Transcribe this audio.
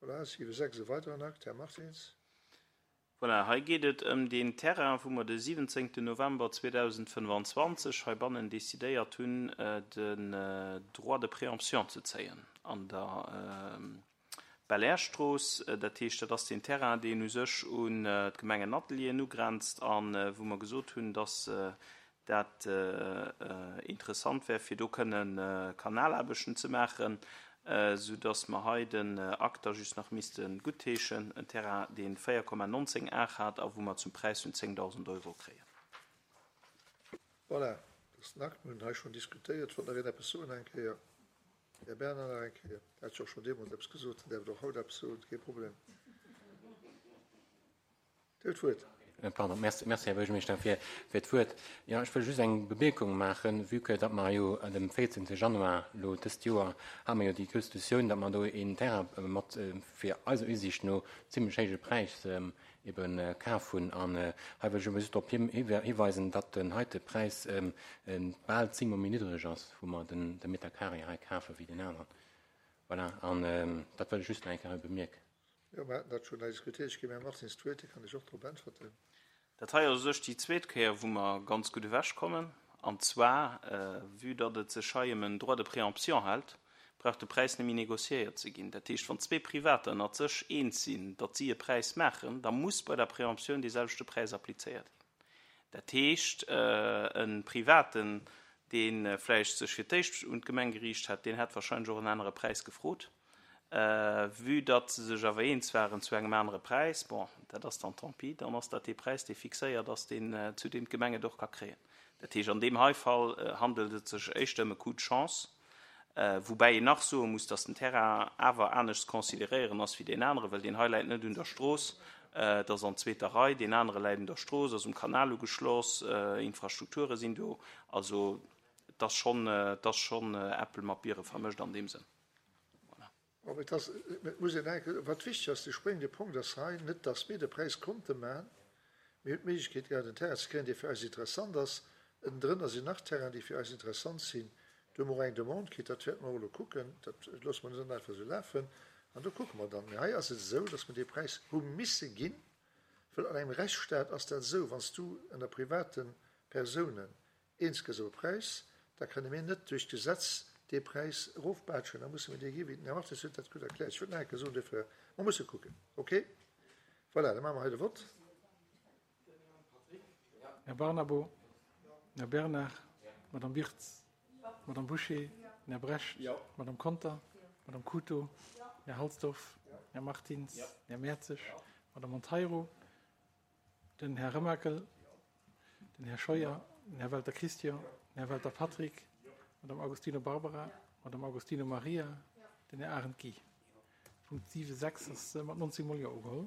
Voilà, 7,6 e weideren Akt. Här Martins. Voilà, hei geet et ëm deen Terrain, wou mer de 17. November 2025 heibannen decidéiert hunn, den Droit de préemption ze zéien an der Belair-Strooss. Dat heescht, dat ass deen Terrain, deen u sech un d'Gemengenatelieren ugrenzt a wou mer gesot hunn, dass dat interessant wär, fir do kënne Kanalaarbechten ze maachen, soudass mer hei den Akt da just nach misste guttheeschen, en Terrain, dee 4,19 Ar hat a wou mer zum Präis vun 10.000 Euro kréien. Voilà, dat ass den Akt. Mir hunn hei schonn diskutéiert. Wollt nach een eppes soen eng Kéier? Här Bernard nach eng Kéier. Der hat jo och schonn deemools eppes gesot. Der däerft och haut eppes soen, kee Problem. Dir hutt d'Wuert. Pardon, merci, merci, Här Buergermeeschter, fir, fir d'Wuert. Jo, ech wëll just eng Bemierkung maachen, vue que datt mer jo dem 14. Januar elo dëst Joer hate mer jo déi grouss Diskussioun, datt mer do een Terrain mat, fir eiser Usiicht no, zimlech héije Präis ebe kaf hunn. An hei wëll ech ebe just drop hiweisen, datt den heite Präis bal zéngmol méi niddreg ass, wou mer den, de Meter carré hei kafen, wéi deen aneren. Voilà, an dat wëll ech just nach eng Kéier hei bemierken. Jo, mer haten dat schonn hei diskutéiert. Ech ginn dem Här Martins d'Wuert, hie kann lech och drop äntwerten. Dat hei ass u sech déi zweet Kéier, wou mer ganz gutt ewechkommen. An zwar, vue datt et sech hei ëm en Droit de préemption hält, brauch de Präis net méi négociéiert ze ginn. Dat heescht, wann zwee Privater ënnert sech eens sinn, datt si e Präis maachen, da muss bei der Préemptioun dee selwechte Präis applizéiert ginn. Dat heescht, e Privaten, dee vläicht sech fir d'éischt un d'Gemeng geriicht hätt, deen hätt wahrscheinlech och en anere Präis gefrot. Vue datt se sech awer eens waren zu engem anere Präis, bon, dat ass dann tant pis, dann ass dat dee Präis, dee fixéiert ass, deen, zu deem d'Gemeng et och ka kréien. Dat heescht, an deem hei Fall handelt et sech éischter ëm e Coup de chance, woubäi een nach soe muss, datt den Terrain awer anescht ze consideréieren ass wéi deen aneren, well deen hei läit net un der Strooss, et ass an zweeter Rei, deen anere läit un der Strooss, ass um Kanal ugeschloss, Infrastrukture sinn do. Also et ass schonn, et ass schonn Äppel mat Biere vermëscht an deem Sënn. Voilà. Bon, et ass, et muss een enke, wat wichteg ass, de spréngende Punkt ass hei net, dass mir de Präis konnte maachen. Mir hunn d'Méiglechkeet gehat, en Terrain ze kréien, dee fir eis interessant ass. Ënnendrënner sinn nach Terrainen, déi fir eis interessant sinn. Do hu mer och eng Demande kritt, dat wäerte mer och elo kucken. Dat loosse mer net einfach esou lafen. An do kucke mer dann. Mee hei ass et esou, dass mer dee Präis hu misse ginn, well an engem Rechtsstaat ass dat esou, wann s du ënner private Persounen eens gëss op e Präis, da kënne mir net duerch d'Gesetz dee Präis erofbaatschen, da musse mir dee gi wéi den Här Martins huet dat gutt erkläert. Ech wëllt nach eng Kéier soen, duerfir, mer musse kucken. Okay? Voilà, da maache mer hei de Vott. Här Barnabo, Här Bernard, Madame Wirtz, Madame Bouché, Här Brecht, Madame Conter, Madame Couto, Här Halsdorf, Här Martins, Här Mertzig, Madame Monteiro, den Här Remakel, den Här Scheuer, den Här Welter Christian, den Här Welter Patrick, d'Madame Agostino Barbara, d'Madame Agostino Maria, den Här Arendt Guy. Punkt 7, 6 ass mat 19 mol Jo ugeholl.